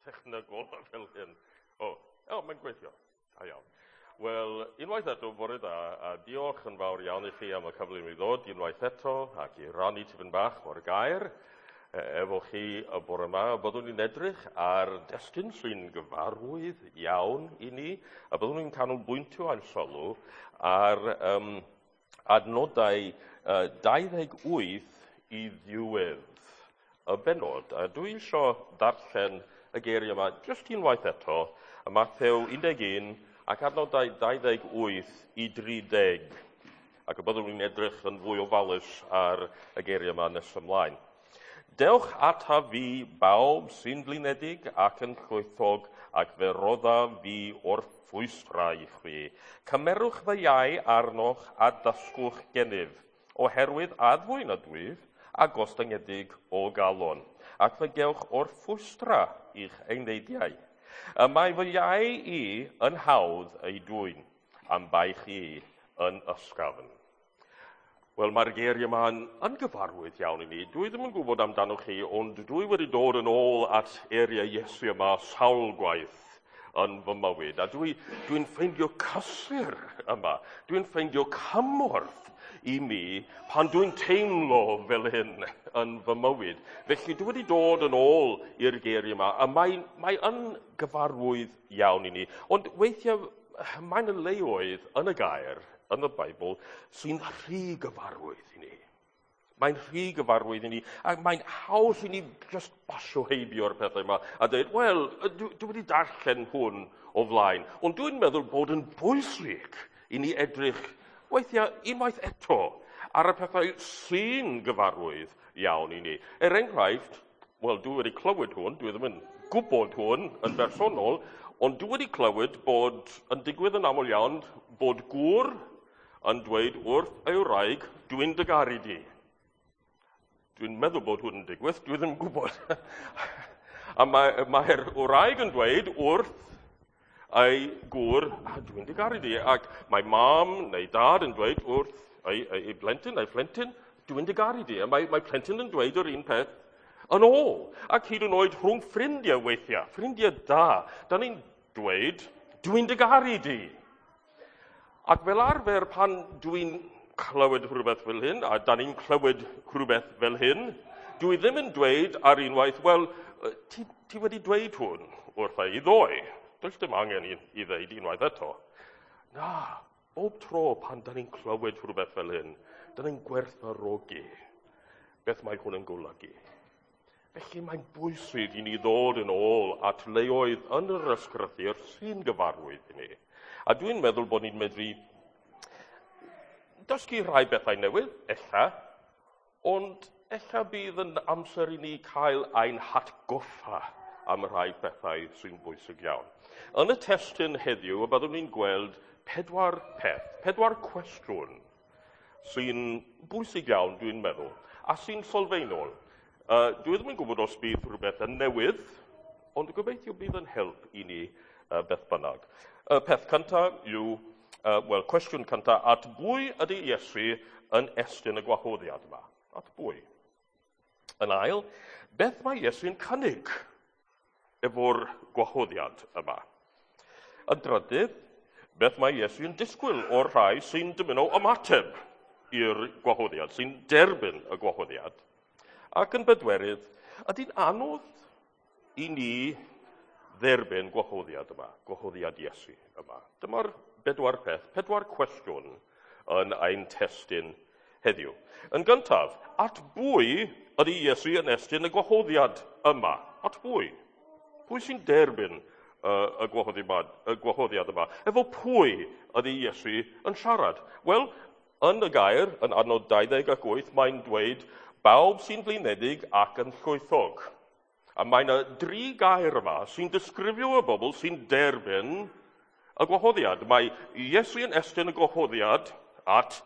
Technegol fel hyn. O, o, mae'n gweithio. Da iawn. Wel, unwaith eto, bore da, a diolch yn fawr iawn i chi am y cyfle i mi ddod unwaith eto ac i rannu tipyn bach o'r gair efo chi y bore yma. Byddwn ni'n edrych ar destun sy'n gyfarwydd iawn i ni, a byddwn ni'n canolbwyntio ein sylw ar adnodau 28 i ddiwedd y bennod. A dwi eisiau darllen y geiriau yma jyst unwaith eto, y Mathew 11 ac adnodau 28 i 30. Ac y byddwn ni'n edrych yn fwy ofalus ar y geiriau yma nes ymlaen. Dewch ata fi bawb sy'n flinedig ac yn llwythog, ac fe roddaf fi orffwystra i chwi. Cymerwch fy iau arnoch a dysgwch gennyf, oherwydd addfwyn ydwyf a gostyngedig o galon, ac fe gewch orffwystra i'ch eneidiau. Y mae fy iau i yn hawdd ei dwyn, a'm baich i yn ysgafn. Wel, mae'r geiriau yma yn gyfarwydd iawn i ni. Dwi ddim yn gwybod amdanoch chi, ond dwi wedi dod yn ôl at eiriau Iesu yma sawl gwaith yn fy mywyd. A dwi'n ffeindio cysur yma. Dwi'n ffeindio cymorth i mi pan dwi'n teimlo fel hyn yn fy mywyd. Felly dwi wedi dod yn ôl i'r geiriau yma, a mae yn gyfarwydd iawn i ni. Ond weithiau mae'n y leoedd yn y gair, yn y Beibl, sy'n rhy gyfarwydd i ni. Mae'n rhy gyfarwydd i ni, ac mae'n haws i ni just basio heibio'r pethau yma a dweud, wel, dwi wedi darllen hwn o flaen, ond dwi'n meddwl bod yn bwysig i ni edrych weithiau unwaith eto ar y pethau sy'n gyfarwydd iawn i ni. Er enghraifft, wel, dwi wedi clywed hwn, dwi ddim yn gwybod hwn yn bersonol, ond dwi wedi clywed bod yn digwydd yn aml iawn bod gŵr yn dweud wrth ei wraig, dwi'n dy garu di. Dwi'n meddwl bod hwn yn digwydd, dwi ddim yn gwybod. A mae'r wraig yn dweud wrth ei gŵr, dwi'n dy garu di. Ac mae mam neu dad yn dweud wrth ei blentyn neu phlentyn, dwi'n dy garu di. A mae plentyn yn dweud yr un peth yn ôl. Ac hyd yn oed rhwng ffrindiau weithiau, ffrindiau da, da ni'n dweud, dwi'n dy garu di. Ac fel arfer pan dwi'n clywed rhywbeth fel hyn, a da ni'n clywed rhywbeth fel hyn, dwi ddim yn dweud ar unwaith, wel, ti wedi dweud hwn wrtha i ddoe. Does dim angen i ddeud unwaith eto. Na, bob tro pan da ni'n clywed rhywbeth fel hyn, da ni'n gwerthfawrogi beth mae hwn yn golygu. Felly mae'n bwysig i ni ddod yn ôl at leoedd yn yr ysgrythur sy'n gyfarwydd i ni. A dwi'n meddwl bod ni'n medru dysgu rhai bethau newydd, ella, ond ella bydd yn amser i ni cael ein hatgoffa am rhai bethau sy'n bwysig iawn. Yn y testun heddiw, y byddwn ni'n gweld pedwar peth, pedwar cwestiwn sy'n bwysig iawn, dwi'n meddwl, a sy'n sylfaenol. Dwi ddim yn gwybod os bydd rhywbeth yn newydd, ond gobeithio bydd yn help i ni beth bynnag. Y peth cyntaf yw, wel, cwestiwn cyntaf, at bwy ydy Iesu yn estyn y gwahoddiad yma? At bwy? Yn ail, beth mae Iesu'n cynnig efo'r gwahoddiad yma? Yn drydydd, beth mae Iesu'n disgwyl o'r rhai sy'n dymuno ymateb i'r gwahoddiad, sy'n derbyn y gwahoddiad? Ac yn bedwerydd, ydy'n anodd i ni dderbyn gwahoddiad yma, gwahoddiad Iesu yma? Dyma'r bedwar peth, pedwar cwestiwn yn ein testun heddiw. Yn gyntaf, at bwy ydy Iesu yn estyn y gwahoddiad yma? At bwy? Pwy sy'n derbyn y gwahoddiad yma? Efo pwy ydy Iesu yn siarad? Wel, yn y gair, yn adnod 28, mae'n dweud bawb sy'n flinedig ac yn llwythog. A mae yna dri gair yma sy'n disgrifio y bobl sy'n derbyn y gwahoddiad. Mae Iesu yn estyn y gwahoddiad at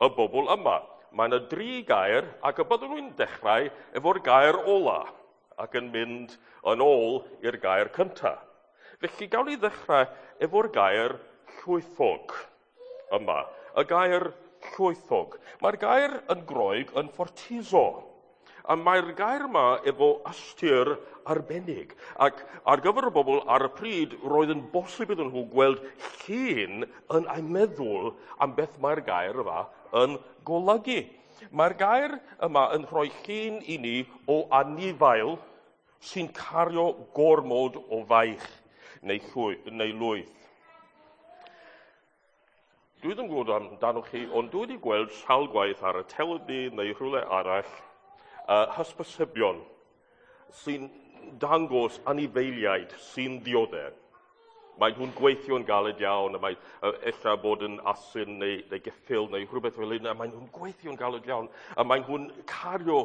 y bobl yma. Mae yna dri gair ac y byddwn nhw'n dechrau efo'r gair ola ac yn mynd yn ôl i'r gair cyntaf. Felly gawn ni ddechrau efo'r gair llwythog yma. Y gair llwythog. Mae'r gair yn Groeg yn fortizo. A mae'r gair yma efo ystyr arbennig. Ac ar gyfer y bobl ar y pryd, roedd yn bosib iddyn nhw gweld llun yn eu meddwl am beth mae'r gair yma yn golygu. Mae'r gair yma yn rhoi llun i ni o anifail sy'n cario gormod o faich neu, llwy, neu lwyth. Dwi ddim yn gwybod amdanoch chi, ond dwi wedi gweld sawl gwaith ar y teledu neu rhywle arall hysbysebion sy'n dangos anifeiliaid sy'n dioddef. Mae nhw'n gweithio'n galed iawn, a mae ella bod yn asyn neu, neu geffyl neu rhywbeth fel hyn, a mae nhw'n gweithio'n galed iawn, a mae nhw'n cario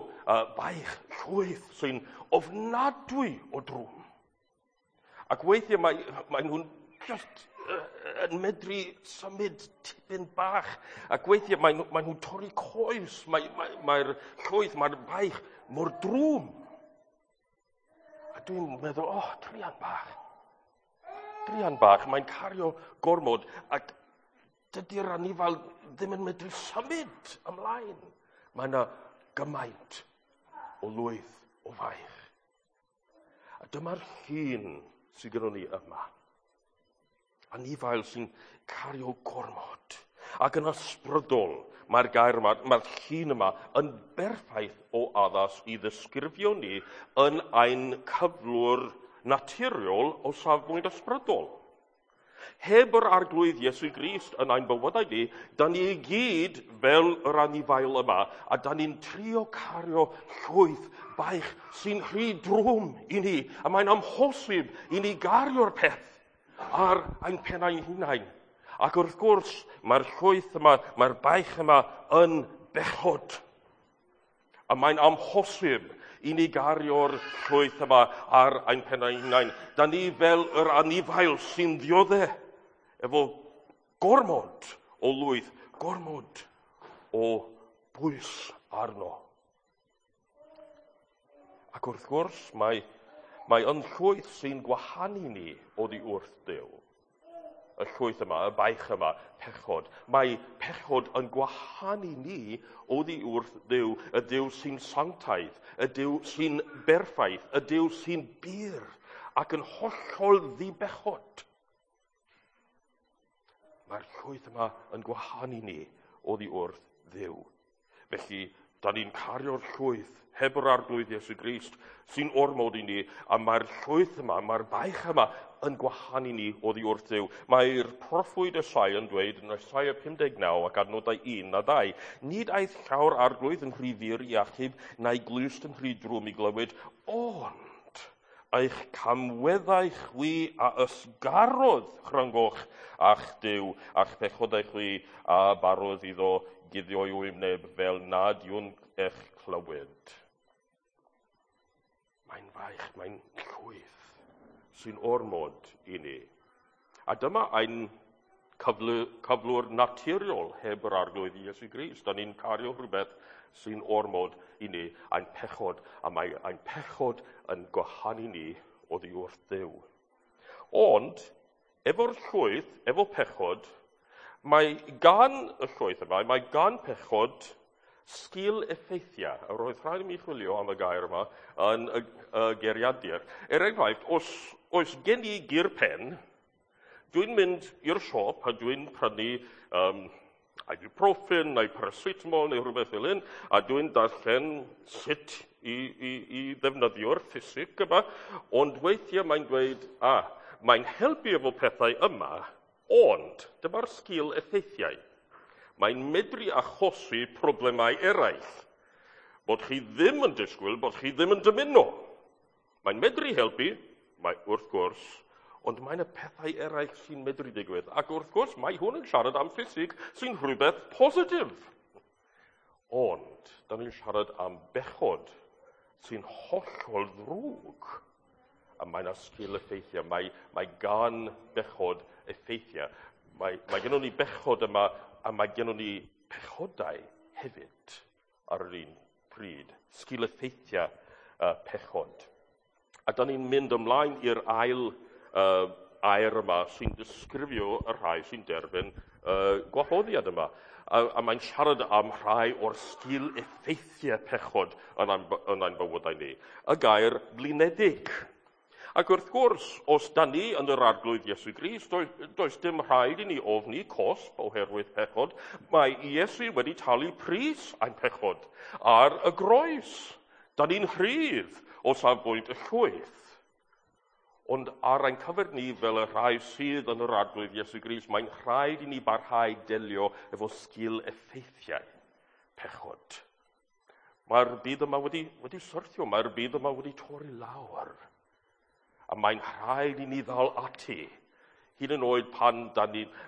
baich llwyth sy'n ofnadwy o drwm. Ac weithiau mae, mae nhw'n just yn medru symud tipyn bach. Ac weithiau mae, mae nhw'n torri coes, mae'r mae, mae llwyth, mae'r baich mor drwm. A dwi'n meddwl, oh, druan bach. Druan bach, mae'n cario gormod ac dydy'r anifail ddim yn medru symud ymlaen. Mae yna gymaint o lwyth o faich. A dyma'r llun sydd gyda ni yma. Anifail sy'n cario gormod. Ac yn ysbrydol, mae'r gair yma, mae'r llun yma yn berffaith o addas i ddisgrifio ni yn ein cyflwr naturiol o safbwynt ysbrydol. Heb yr arglwydd Iesu Grist yn ein bywydau ni, da ni i gyd fel yr anifail yma, a da ni'n trio cario llwyth baich sy'n rhy drwm i ni, a mae'n amhosib i ni gario'r peth ar ein pennau hunain. Ac wrth gwrs, mae'r llwyth yma, mae'r baich yma yn bechod. A mae'n amhosib i ni gario'r llwyth yma ar ein pennau hunain. Da ni fel yr anifail sy'n ddiodde efo gormod o lwyth, gormod o bwys arno. Ac wrth gwrs, mae, mae yn llwyth sy'n gwahanu ni oddi wrth Duw. Y llwyth yma, y baich yma, pechod. Mae pechod yn gwahanu ni oddi wrth Dduw, y Duw sy'n sanctaidd, y Duw sy'n berffaith, y Duw sy'n bur ac yn hollol ddibechod. Mae'r llwyth yma yn gwahanu ni oddi wrth Dduw. Felly, da ni'n cario'r llwyth heb yr arglwydd Iesu Grist sy'n ormod i ni, a mae'r llwyth yma, mae'r baich yma yn gwahanu ni oddi wrth Dduw. Mae'r proffwyd Esaia yn dweud yn Esaia 59 ac adnodau 1 a 2, nid aeth llawr arglwydd yn rhy fyr i achub, na'i glust yn rhy drwm i glywed, ond eich camweddau chwi a ysgarodd rhyngoch a'ch Duw, a'ch pechodau chwi a barodd iddo guddio'i wyneb fel nad yw'n eich clywed. Mae'n faich, mae'n llwyth sy'n ormod i ni. A dyma ein cyflwr naturiol heb yr arglwydd Iesu Grist. Da ni'n cario rhywbeth sy'n ormod i ni, ein pechod, a mae ein pechod yn gwahanu ni oddi wrth Dduw. Ond, efo'r llwyth, efo pechod, mae gan y llwyth yma, mae gan pechod sgil effeithiau. A roedd rhaid i mi chwilio am y gair yma yn y, y geiriadur. Er enghraifft, os oes gen i gur pen, dwi'n mynd i'r siop a dwi'n prynu um, ibuprofen neu paracetamol neu rhywbeth fel hyn, a dwi'n darllen sut i, i, i ddefnyddio'r ffisig yma, ond weithiau mae'n dweud, a, mae'n helpu efo pethau yma, ond dyma'r sgil effeithiau. Mae'n medru achosi problemau eraill. Bod chi ddim yn disgwyl, bod chi ddim yn dymuno. Mae'n medru helpu, mae, wrth gwrs, ond mae'n y pethau eraill sy'n medru digwydd. Ac wrth gwrs, mae hwn yn siarad am ffisig sy'n rhywbeth positif. Ond, da ni'n siarad am bechod sy'n hollol ddrwg. A mae yna sgil effeithiau. Mae, mae gan bechod effeithiau. Mae, mae gennym ni bechod yma a mae gennym ni pechodau hefyd ar yr un pryd. Sgil effeithiau pechod. A da ni'n mynd ymlaen i'r ail air yma sy'n disgrifio y rhai sy'n derbyn gwahoddiad yma. A mae'n siarad am rhai o'r sgil effeithiau pechod yn ein bywydau ni. Y gair blinedig. Ac wrth gwrs, os da ni yn yr Arglwydd Iesu Grist, does dim rhaid i ni ofni cosb oherwydd pechod. Mae Iesu wedi talu pris ein pechod ar y groes. Da ni'n rhydd o safbwynt y llwyth. Ond ar ein cyfer ni fel y rhai sydd yn yr Arglwydd Iesu Grist, mae'n rhaid i ni barhau delio efo sgil effeithiau pechod. Mae'r byd yma wedi syrthio, mae'r byd yma wedi torri lawr. A mae'n rhaid i ni ddal ati, hyd yn oed pan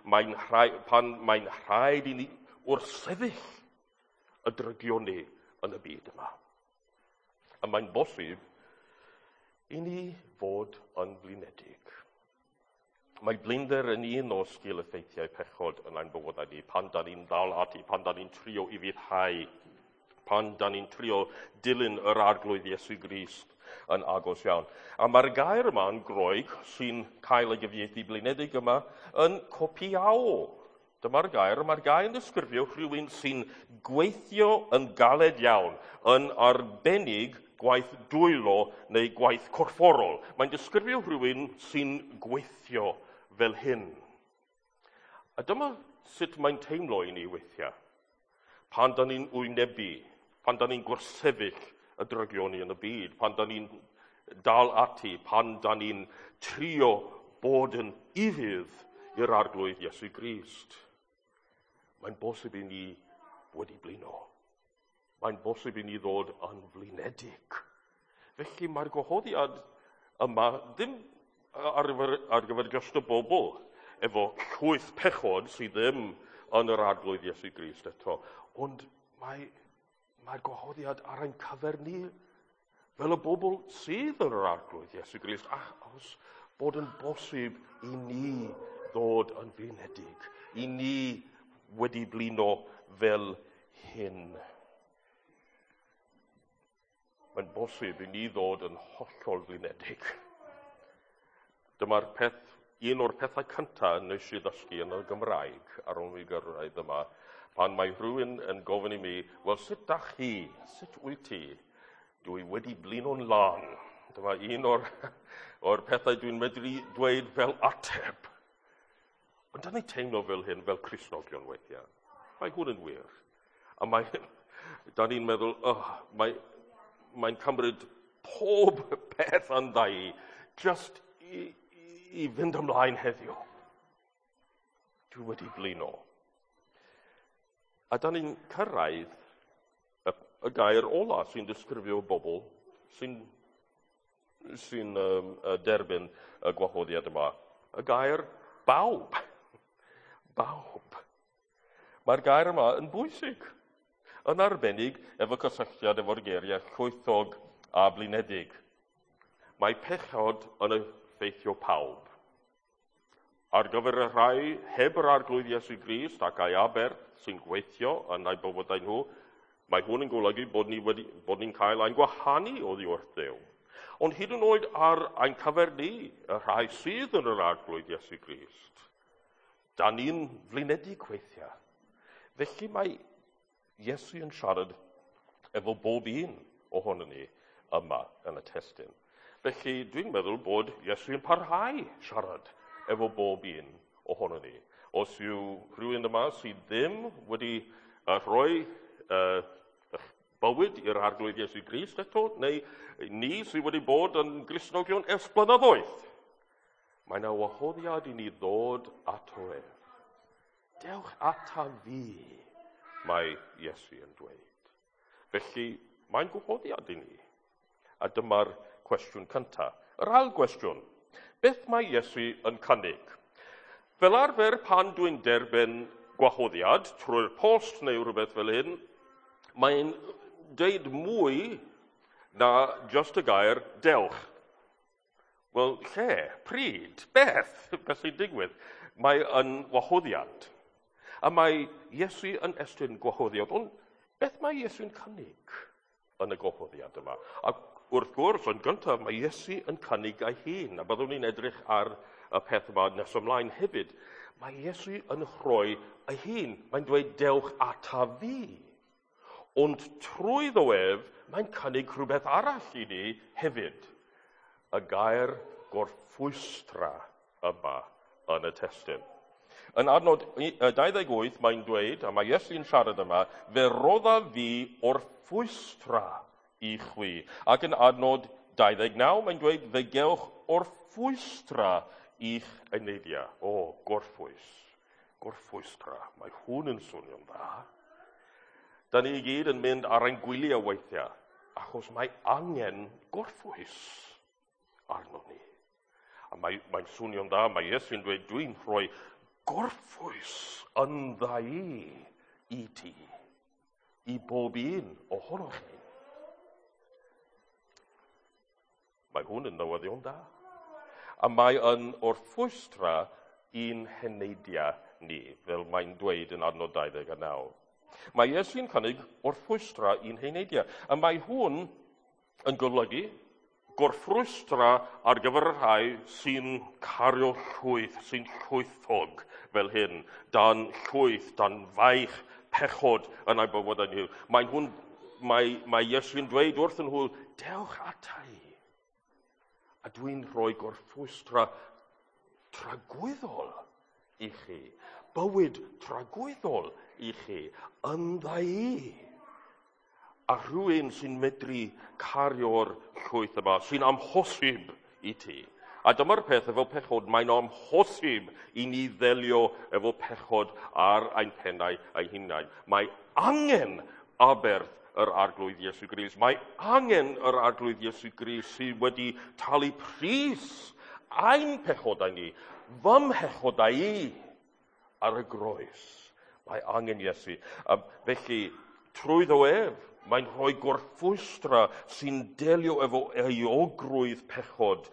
mae'n rhaid i ni wrthsefyll y drygioni yn y byd yma. A mae'n bosib i ni fod yn blinedig. Mae blinder yn un o sgil effeithiau pechod yn ein bywydau ni, pan da ni'n dal ati, pan da ni'n trio i fyddhau, pan da ni'n trio dilyn yr Arglwydd Iesu Grist yn agos iawn. A mae'r gair yma yn Groeg, sy'n cael ei gyfieithu blinedig yma, yn copiao. Dyma'r gair, mae'r gair yn disgrifio rhywun sy'n gweithio yn galed iawn, yn arbennig gwaith dwylo neu gwaith corfforol. Mae'n disgrifio rhywun sy'n gweithio fel hyn. A dyma sut mae'n teimlo i ni weithiau. Pan da ni'n wynebu, pan da ni'n gwrthsefyll y drygioni yn y byd, pan da ni'n dal ati, pan da ni'n trio bod yn ufudd i'r Arglwydd Iesu Grist. Mae'n bosib i ni wedi blino. Mae'n bosib i ni ddod yn flinedig. Felly mae'r gwahoddiad yma ddim ar gyfer just y bobl efo llwyth pechod sydd ddim yn yr Arglwydd Iesu Grist eto, ond mae'r gwahoddiad ar ein cyfer ni fel y bobl sydd yn yr Arglwydd Iesu Grist, achos bod yn bosib i ni ddod yn flinedig, i ni wedi blino fel hyn. Mae'n bosib i ni ddod yn hollol flinedig. Dyma'r peth, un o'r pethau cyntaf nes i ddysgu yn y Gymraeg ar ôl mi gyrraedd yma, pan mae rhywun yn gofyn i mi, wel, sut da chi? Sut wyt ti? Dwi wedi blino'n lân. Dyma un o'r pethau dwi'n medru dweud fel ateb. Ond da ni'n teimlo fel hyn, fel Cristnogion weithiau. Mae hwn yn wir. A da ni'n meddwl, oh, mae'n cymryd pob peth yndda i just i fynd ymlaen heddiw. Dwi wedi blino. A da ni'n cyrraedd y gair ola sy'n disgrifio bobl sy'n derbyn y gwahoddiad yma. Y gair bawb. Bawb. Mae'r gair yma yn bwysig. Yn arbennig efo cysylltiad efo'r geiriau llwythog a blinedig. Mae pechod yn effeithio pawb. Ar gyfer y rhai heb yr Arglwydd Iesu Grist ac ei aberth sy'n gweithio yn eu bywydau nhw, mae hwn yn golygu bod ni'n cael ein gwahanu oddi wrth Dduw. Ond hyd yn oed ar ein cyfer ni, y rhai sydd yn yr Arglwydd Iesu Grist, da ni'n flinedig weithiau. Felly mae Iesu yn siarad efo bob un ohonon ni yma yn y testun. Felly dwi'n meddwl bod Iesu yn parhau siarad efo bob un ohonon ni. Os yw rhywun yma sydd ddim wedi rhoi bywyd i'r Arglwydd Iesu Grist eto, neu ni sydd wedi bod yn Gristnogion ers blynyddoedd, mae yna wahoddiad i ni ddod ato ef. Dewch ata fi, mae Iesu yn dweud. Felly, mae'n gwahoddiad i ni. A dyma'r cwestiwn cyntaf. Yr ail gwestiwn, beth mae Iesu yn cynnig? Fel arfer, pan dwi'n derbyn gwahoddiad trwy'r post neu rhywbeth fel hyn, mae'n deud mwy na just y gair dewch. Wel, lle? Pryd? Beth? Beth sy'n digwydd? Mae yn wahoddiad. A mae Iesu yn estyn gwahoddiad. Ond beth mae Iesu'n cynnig yn y gwahoddiad yma? Ac wrth gwrs, yn gyntaf, mae Iesu yn cynnig ei hun. A byddwn ni'n edrych ar y peth yma nes ymlaen hefyd. Mae Iesu yn rhoi ei hun. Mae'n dweud, dewch ata fi. Ond trwyddo ef, mae'n cynnig rhywbeth arall i ni hefyd. Y gair gorffwystra yma yn y testun. Yn adnod 28 mae'n dweud, a mae Iesu'n siarad yma, fe rodda fi orffwystra i chwi. Ac yn adnod 29 mae'n dweud, fe gewch orffwystra i'ch eneidiau. O, gorffwys. Gorffwystra. Mae hwn yn swnio'n dda. Da ni i gyd yn mynd ar ein gwyliau weithiau, achos mae angen gorffwys arno ni. A mae'n swnio'n dda, mae Iesu'n dweud, dwi'n rhoi gorffwys yn dda i ti, i bob un ohonoch chi. Mae hwn yn newyddion da. A mae yn orffwystra i'n heneidiau ni, fel mae'n dweud yn adnod 29. Mae Iesu'n cynnig orffwystra i'n heneidiau. A mae hwn yn golygu gorffrwystra ar gyfer y rhai sy'n cario llwyth, sy'n llwythog fel hyn, dan llwyth, dan faich pechod yn eu bywydau nhw. Mae Iesu'n dweud wrthyn nhw, dewch ata i. A dwi'n rhoi gorffwystra tragwyddol i chi, bywyd tragwyddol i chi, yndda i. A rhywun sy'n medru cario'r llwyth yma, sy'n amhosib i ti. A dyma'r peth efo pechod, mae'n amhosib i ni ddelio efo pechod ar ein pennau ein hunain. Mae angen aberth yr Arglwydd Iesu Grist. Mae angen yr Arglwydd Iesu Grist sydd wedi talu pris ein pechodau ni, fy mhechodau i, ar y groes. Mae angen Iesu. A felly, trwyddo ef, mae'n rhoi gorffwystra sy'n delio efo euogrwydd pechod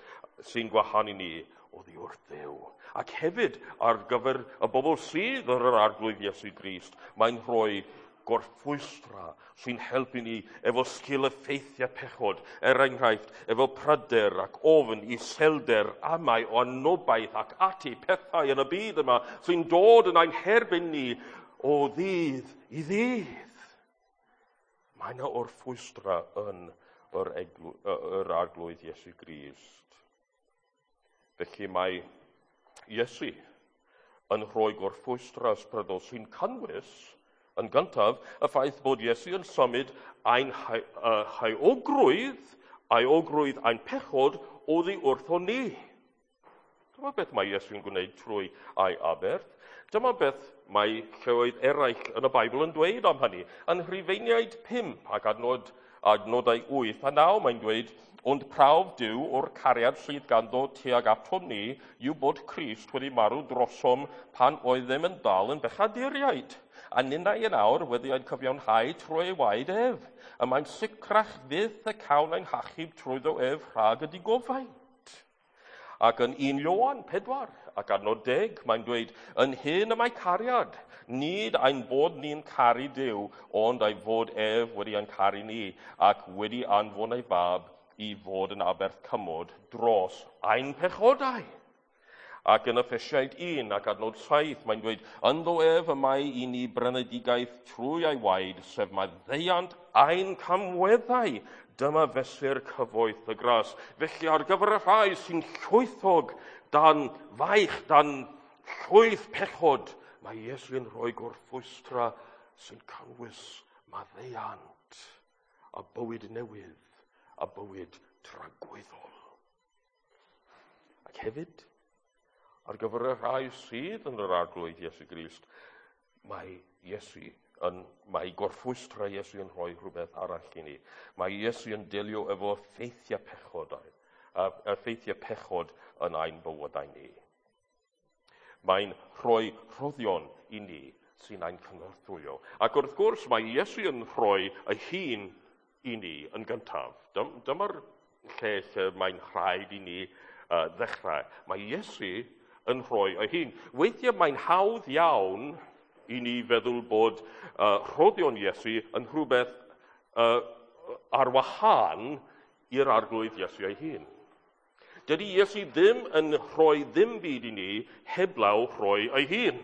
sy'n gwahanu ni oddi wrth Dduw. Ac hefyd, ar gyfer y bobl sydd ar yr Arglwydd Iesu Grist, mae'n rhoi gorffwystra sy'n helpu ni efo sgil effeithiau pechod, er enghraifft, efo pryder ac ofn, iselder, amau o anobaith ac ati, pethau yn y byd yma sy'n dod yn ein herbyn ni o ddydd i ddydd. Mae yna orffwystra yn yr Arglwydd Iesu Grist. Felly mae Iesu yn rhoi gorffwystra ysbrydol sy'n cynnwys, yn gyntaf, y ffaith bod Iesu yn symud ein heuogrwydd ein pechod oddi wrtho ni. Dyma beth mae Iesu'n gwneud trwy ei aberth. Dyma beth mae lleoedd eraill yn y Beibl yn dweud am hynny. Yn Rhufeiniaid 5 ac adnodau 8 a 9 mae'n dweud, ond prawf Duw o'r cariad sydd ganddo tuag atom ni yw bod Crist wedi marw drosom pan oeddem yn dal yn bechaduriaid. A ninnau yn awr wedi ein cyfiawnhau trwy ei waed ef. Y mae'n sicrach fyth y cawn ein hachub trwyddo ef rhag y digofaint. Ac yn 1 Ioan 4 ac adnod 10, mae'n dweud, yn hyn y mae cariad, nid ein bod ni'n caru Duw, ond ei fod ef wedi ein caru ni, ac wedi anfon ei fab i fod yn aberth cymod dros ein pechodau. Ac yn Effesiaid 1 ac adnod 7, mae'n dweud, ynddo ef y mae i ni brynedigaeth trwy ei waed, sef maddeuant ein camweddau. Dyma fesur cyfoeth y gras. Felly ar gyfer y rhai sy'n llwythog dan faich, dan llwyth pechod, mae Iesu'n rhoi gorffwystra sy'n cynnwys maddeuant a bywyd newydd a bywyd tragwyddol. Ac hefyd, ar gyfer y rhai sydd yn yr Arglwydd Iesu Grist, mae gorffwystra Iesu yn rhoi rhywbeth arall i ni. Mae Iesu yn delio efo effeithiau pechod, effeithiau pechod yn ein bywydau ni. Mae'n rhoi rhoddion i ni sy'n ein cynorthwyo. Ac wrth gwrs, mae Iesu yn rhoi ei hun i ni yn gyntaf. Dyma'r lle mae'n rhaid i ni ddechrau. Mae Iesu yn rhoi ei hun. Weithiau mae'n hawdd iawn i ni feddwl bod rhoddion Iesu yn rhywbeth ar wahân i'r Arglwydd Iesu ei hun. Dydy Iesu ddim yn rhoi ddim byd i ni heblaw rhoi ei hun.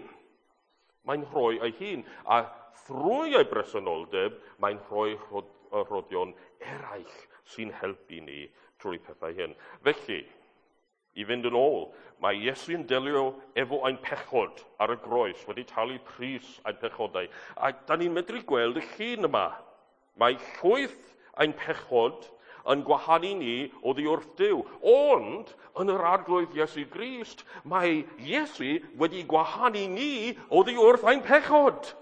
Mae'n rhoi ei hun, a thrwy ei bresenoldeb, mae'n rhoi rhoddion eraill sy'n helpu ni trwy pethau hyn. Felly, i fynd yn ôl, mae Iesu'n delio efo ein pechod ar y groes, wedi talu pris ein pechodau. A da ni'n medru gweld y llun yma. Mae llwyth ein pechod yn gwahanu ni oddi wrth Duw. Ond, yn yr Arglwydd Iesu Grist, mae Iesu wedi gwahanu ni oddi wrth ein pechod.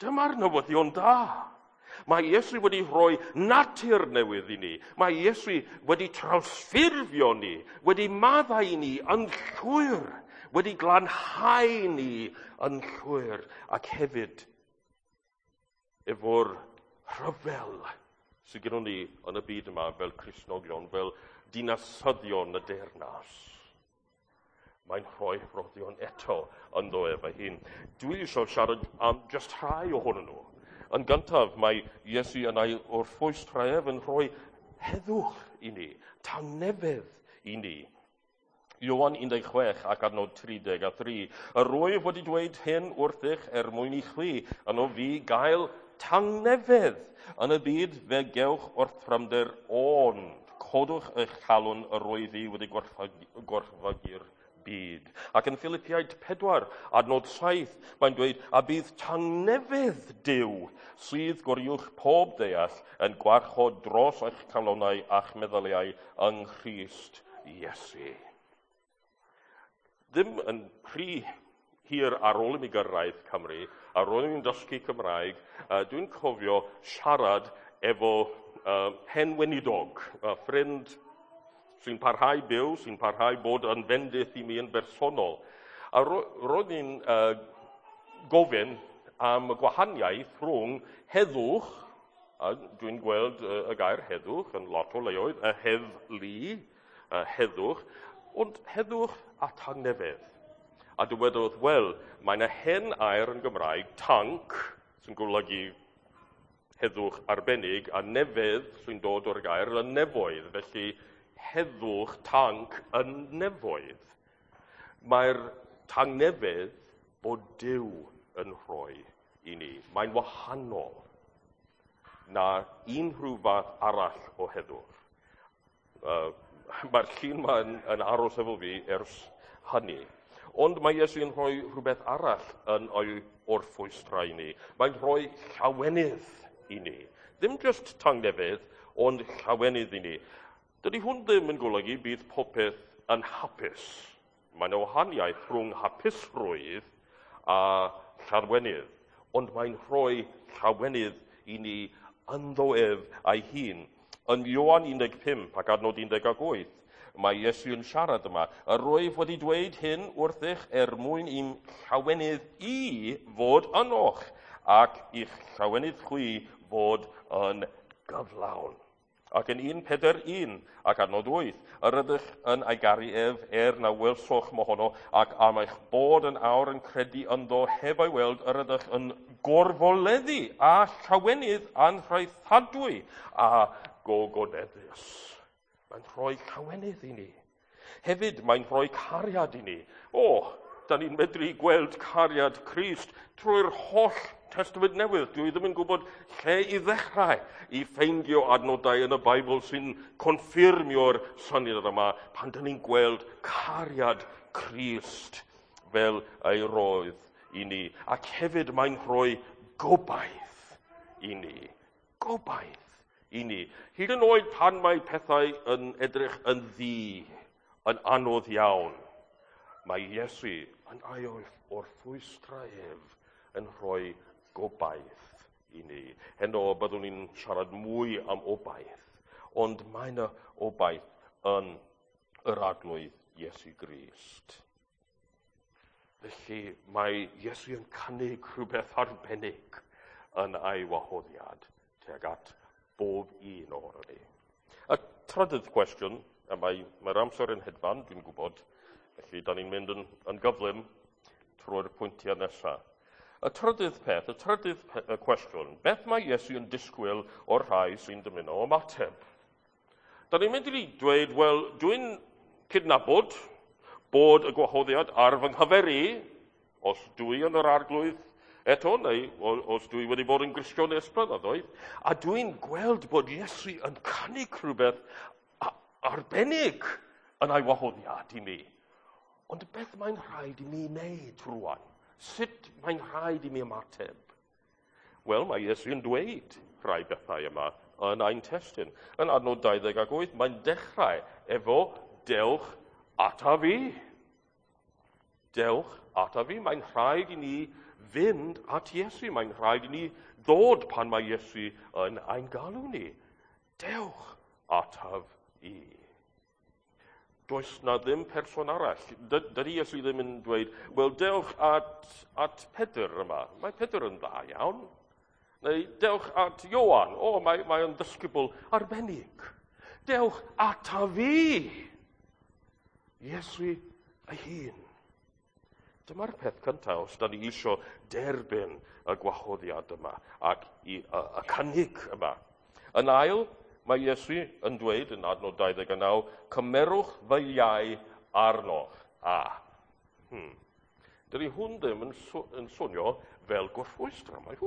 Dyma'r newyddion da. Mae Iesu wedi rhoi natur newydd i ni. Mae Iesu wedi trawsffurfio ni, wedi maddau ni yn llwyr, wedi glanhau ni yn llwyr, ac hefyd efo'r rhyfel sydd gennym ni yn y byd yma fel Cristnogion, fel dinasyddion y deyrnas. Mae'n rhoi rhoddion eto ynddo ef ei hun. Dwi eisiau siarad am jyst rhai ohonyn nhw. Yn gyntaf, mae Iesu yn ei orffwystra ef yn rhoi heddwch i ni, tangnefedd i ni. Ioan 16 ac adnod 33. Yr wyf wedi dweud hyn wrthych er mwyn i chwi, yno fi gael tangnefedd. Yn y byd fe gewch orthrymder, ond codwch eich calon, yr wyf i wedi gorchfygu'r byd. Ac yn Philippiaid 4, adnod 7, mae'n dweud, a bydd tangnefedd Duw sydd goruwch pob deall yn gwarchod dros eich calonnau a'ch meddyliau yng Nghrist Iesu. Ddim yn rhy hir ar ôl i mi gyrraedd Cymru, a roeddwn i'n dysgu Cymraeg, dwi'n cofio siarad efo hen weinidog, ffrind sy'n parhau byw, sy'n parhau bod yn fendith i mi yn bersonol. A roedd ni'n gofyn am y gwahaniaeth rhwng heddwch, a dwi'n gweld y gair heddwch yn lot o leoedd, y heddlu, heddwch, ond heddwch a tangnefedd. A dywedodd, wel, mae yna hen air yn Gymraeg, tanc, sy'n golygu heddwch arbennig, a nefedd sy'n dod o'r gair y nefoedd, felly heddwch, tanc yn nefoedd. Mae'r tangnefedd bod Duw yn rhoi i ni. Mae'n wahanol na unrhyw fath arall o heddwch. Mae'r llun yma yn aros efo fi ers hynny. Ond mae Iesu yn rhoi rhywbeth arall yn o'i orffwystra i ni. Mae'n rhoi llawenydd i ni. Ddim jyst tangnefedd, ond llawenydd i ni. Dydy hwn ddim yn golygu bydd popeth yn hapus. Mae yna wahaniaeth rhwng hapusrwydd a llawenydd, ond mae'n rhoi llawenydd i ni ynddo ef a'i hun. Yn Ioan 15 ac adnod 18, mae Iesu yn siarad yma. Yr wyf wedi dweud hyn wrthych er mwyn i'm llawenydd i fod ynoch, ac i'ch llawenydd chwi fod yn gyflawn. Ac yn 1 Pedr 1 ac adnod 8, yr ydych yn ei garu ef er na welsoch mohono, ac am eich bod yn awr yn credu ynddo heb ei weld, yr ydych yn gorfoleddu a llawenydd anhraethadwy a gogoneddus. Mae'n rhoi llawenydd i ni. Hefyd, mae'n rhoi cariad i ni. O, da ni'n medru gweld cariad Crist trwy'r holl Testament Newydd. Dwi ddim yn gwybod lle i ddechrau i ffeindio adnodau yn y Beibl sy'n confirmio'r syniad yma pan da ni'n gweld cariad Crist fel ei roedd i ni. Ac hefyd mae'n rhoi gobaith i ni. Gobaith i ni. Hyd yn oed pan mae pethau yn edrych yn ddu, yn anodd iawn, mae Iesu yn ei orffwystra ef yn rhoi gobaith i ni. Heno byddwn ni'n siarad mwy am obaith, ond mae yna obaith yn yr Arglwydd Iesu Grist. Felly mae Iesu yn cynnig rhywbeth arbennig yn ei wahoddiad tuag at bob un ohonon ni. Y trydydd cwestiwn, a mae'r amser yn hedfan, dwi'n gwybod, felly da ni'n mynd yn gyflym trwy'r pwyntiau nesaf. Y trydydd peth, y trydydd cwestiwn, beth mae Iesu yn disgwyl o'r rhai sy'n dymuno ymateb? Da ni'n mynd i dweud, wel, dwi'n cydnabod bod y gwahoddiad ar fy nghyfer i, os dwi yn yr arglwydd eto, neu os dwi wedi bod yn Gristion ers blynyddoedd, a dwi'n gweld bod Iesu yn cynnig rhywbeth arbennig yn ei wahoddiad i mi. Ond beth mae'n rhaid i mi wneud rwan? Sut mae'n rhaid i mi ymateb? Wel, mae Iesu yn dweud rhai bethau yma yn ein testun. Yn adnod 28, mae'n dechrau efo dewch ata fi. Dewch ata fi. Mae'n rhaid i ni fynd at Iesu. Mae'n rhaid i ni ddod pan mae Iesu yn ein galw ni. Dewch ataf i. Does na ddim person arall. Dydy Iesu ddim yn dweud, wel, dewch at Pedr yma. Mae Pedr yn dda iawn. Neu dewch at Ioan. O, mae o'n ddisgybl arbennig. Dewch ata fi. Iesu ei hun. Dyma'r peth cyntaf os da ni eisiau derbyn y gwahoddiad yma ac y cynnig yma. Yn ail, mae Iesu yn dweud yn adnod 29, cymerwch fy iau arnoch. Dydy hwn ddim yn swnio fel gorffwystra. Mae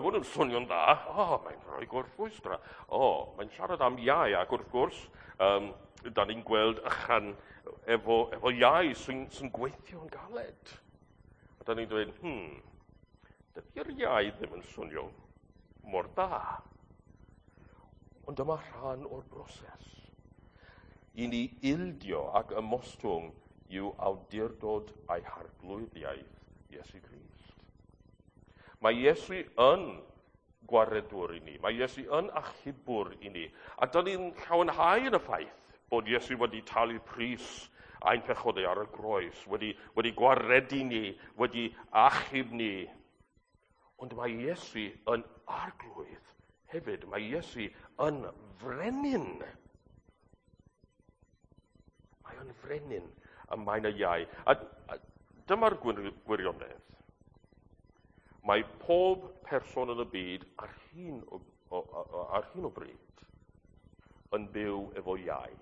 hwn yn swnio'n dda. O, mae'n rhoi gorffwystra. O, mae'n siarad am iau, ac wrth gwrs, da ni'n gweld ychan efo iau sy'n gweithio'n galed. A da ni'n dweud, dydy'r iau ddim yn swnio mor dda. Ond dyma rhan o'r broses. I ni ildio ac ymostwng i'w awdurdod a'i harglwyddiaeth Iesu Grist. Mae Iesu yn gwaredwr i ni. Mae Iesu yn achubwr i ni. A dyn ni'n llawenhau yn y ffaith bod Iesu wedi talu pris ein pechodau ar y groes, wedi gwaredu ni, wedi achub ni. Ond mae Iesu yn arglwydd hefyd. Mae Iesu yn frenin. Mae o'n frenin y mae'n y iau. A dyma'r gwirionedd. Mae pob person yn y byd ar hyn o bryd yn byw efo iau.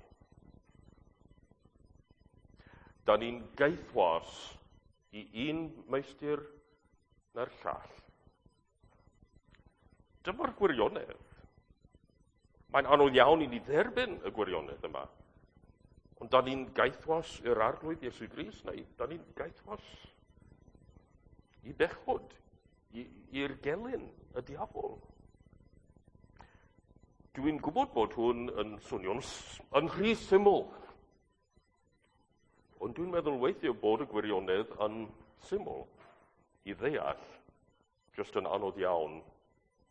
Da ni'n gaethwas i un meistr na'r llall. Dyma'r gwirionedd. Mae'n anodd iawn i ni dderbyn y gwirionedd yma. Ond da ni'n gaethwas i'r arglwydd Iesu Grist, neu da ni'n gaethwas i bechod, i'r gelyn, y diafol. Dwi'n gwybod bod hwn yn swnio'n yn rhy syml. Ond dwi'n meddwl weithio bod y gwirionedd yn syml i ddeall, jyst yn anodd iawn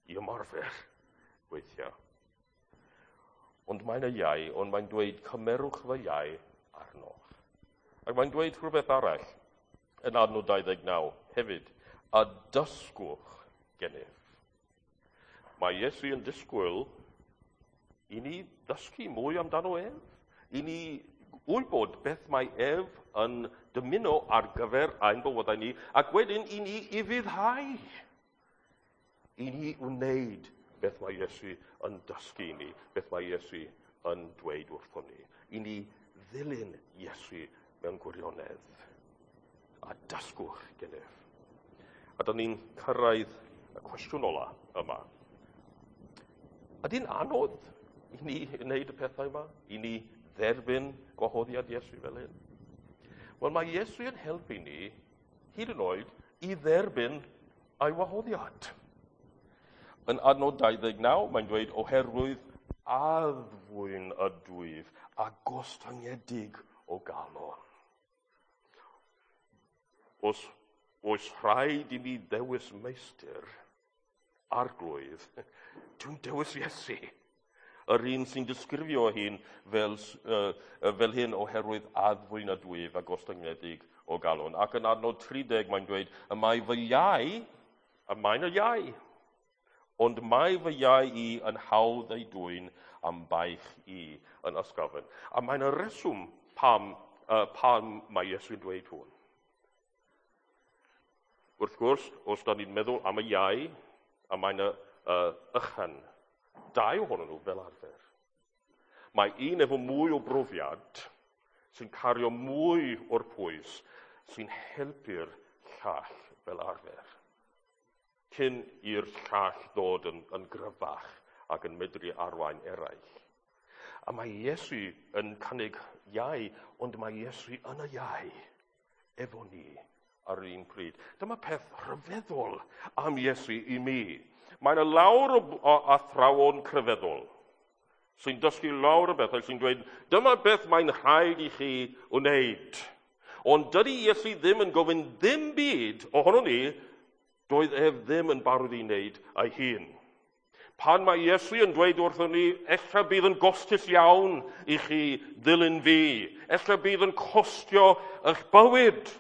i ymarfer weithiau. Ond mae'n y iau, ond mae'n dweud cymerwch fy iau arnoch. Ac mae'n dweud rhywbeth arall yn adnod 29 hefyd, a dysgwch gennyf. Mae Iesu yn disgwyl i ni ddysgu mwy amdano ef, i ni wybod beth mae ef yn dymuno ar gyfer ein bywydau ni, ac wedyn i ni ufuddhau, i ni wneud beth mae Iesu yn dysgu i ni, beth mae Iesu yn dweud wrthon ni. I ni ddilyn Iesu mewn gwirionedd a dysgwch gennyf. A da ni'n cyrraedd y cwestiwn ola yma. Ydy'n anodd i ni wneud y pethau yma? I ni dderbyn gwahoddiad Iesu fel hyn? Wel, mae Iesu yn helpu ni, hyd yn oed, i dderbyn ei wahoddiad. Yn adnod 29, mae'n dweud, oherwydd addfwyn ydwyf a gostyngedig o galon. Os oes rhaid i mi ddewis meistr, arglwydd, dwi'n dewis Iesu. Yr un sy'n disgrifio hyn fel hyn oherwydd addfwyn ydwyf a gostyngedig o galon. Ac yn adnod 30 mae'n dweud, y mae fy iau, y mae'n y iau, ond mae fy iau i yn hawdd ei dwyn am baich i yn ysgafn. A mae'n y reswm pam mae Iesu'n dweud hwn. Wrth gwrs, os da ni'n meddwl am y iau, a mae'n y ychan, dau ohonyn nhw fel arfer. Mae un efo mwy o brofiad sy'n cario mwy o'r pwys sy'n helpu'r llall fel arfer. Cyn i'r llall ddod yn gryfach ac yn medru arwain eraill. A mae Iesu yn cynnig iau, ond mae Iesu yn y iau efo ni ar yr un pryd. Dyma peth rhyfeddol am Iesu i mi. Mae yna lawr o athrawon crefyddol sy'n dysgu lawr o bethau sy'n dweud, dyma beth mae'n rhaid i chi wneud. Ond dydy Iesu ddim yn gofyn ddim byd ohono ni, doedd ef ddim yn barod i wneud ei hun. Pan mae Iesu yn dweud wrthon ni, ella bydd yn gostus iawn i chi ddilyn fi, ella bydd yn costio eich bywyd.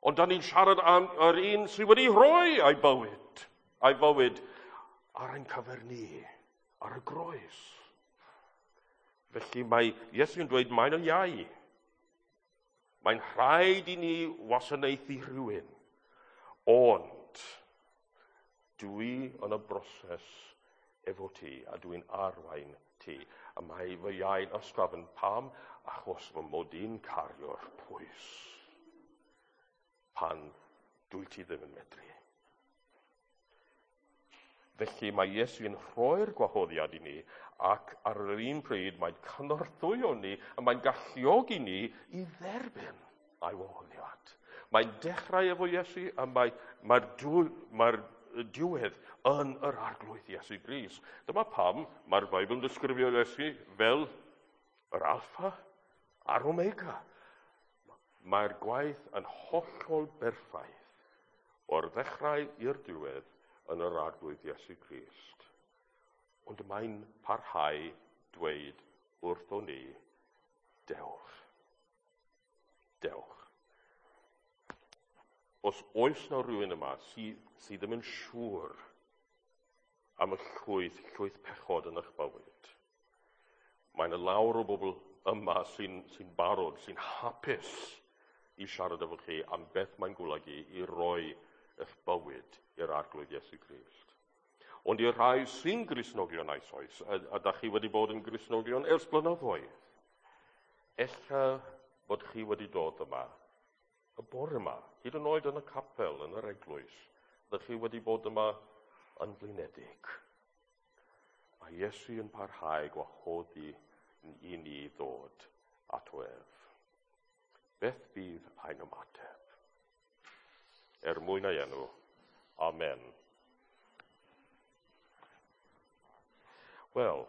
Ond da ni'n siarad am yr un sydd wedi rhoi ei bywyd ar ein cyfer ni, ar y groes. Felly mae Iesu yn dweud mae'n y iau. Mae'n rhaid i ni wasanaethu rhywun. Ond dwi yn y broses efo ti a dwi'n arwain ti. A mae fy iau'n ysgafn pam? Achos fy mod i'n cario'r pwys pan dwi ti ddim yn medru. Felly mae Iesu yn rhoi'r gwahoddiad i ni ac ar yr un pryd mae'n cynorthwyo ni a mae'n galluogi ni i dderbyn ei wahoddiad. Mae'n dechrau efo Iesu a mae'r diwedd yn yr Arglwydd Iesu Grist. Dyma pam mae'r Beibl yn disgrifio Iesu fel yr Alpha a'r Omega. Mae'r gwaith yn hollol berffaith o'r ddechrau i'r diwedd yn yr Arglwydd Iesu Grist. Ond mae'n parhau dweud wrthon ni, dewch. Dewch. Os oes na rhywun yma sydd ddim yn siŵr am y llwyth pechod yn eich bywyd, mae yna lawr o bobl yma sy'n barod, sy'n hapus i siarad efo chi am beth mae'n golygu i roi eich bywyd i'r Arglwydd Iesu Grist. Ond i'r rhai sy'n Gristnogion eisoes, a da chi wedi bod yn Gristnogion ers blynyddoedd, ella bod chi wedi dod yma, y bore yma, hyd yn oed yn y capel, yn yr eglwys, da chi wedi bod yma yn flinedig. Mae Iesu yn parhau gwahoddi i ni ddod ato ef. Beth bydd ein ymateb? Er mwyn ei enw. Amen. Wel,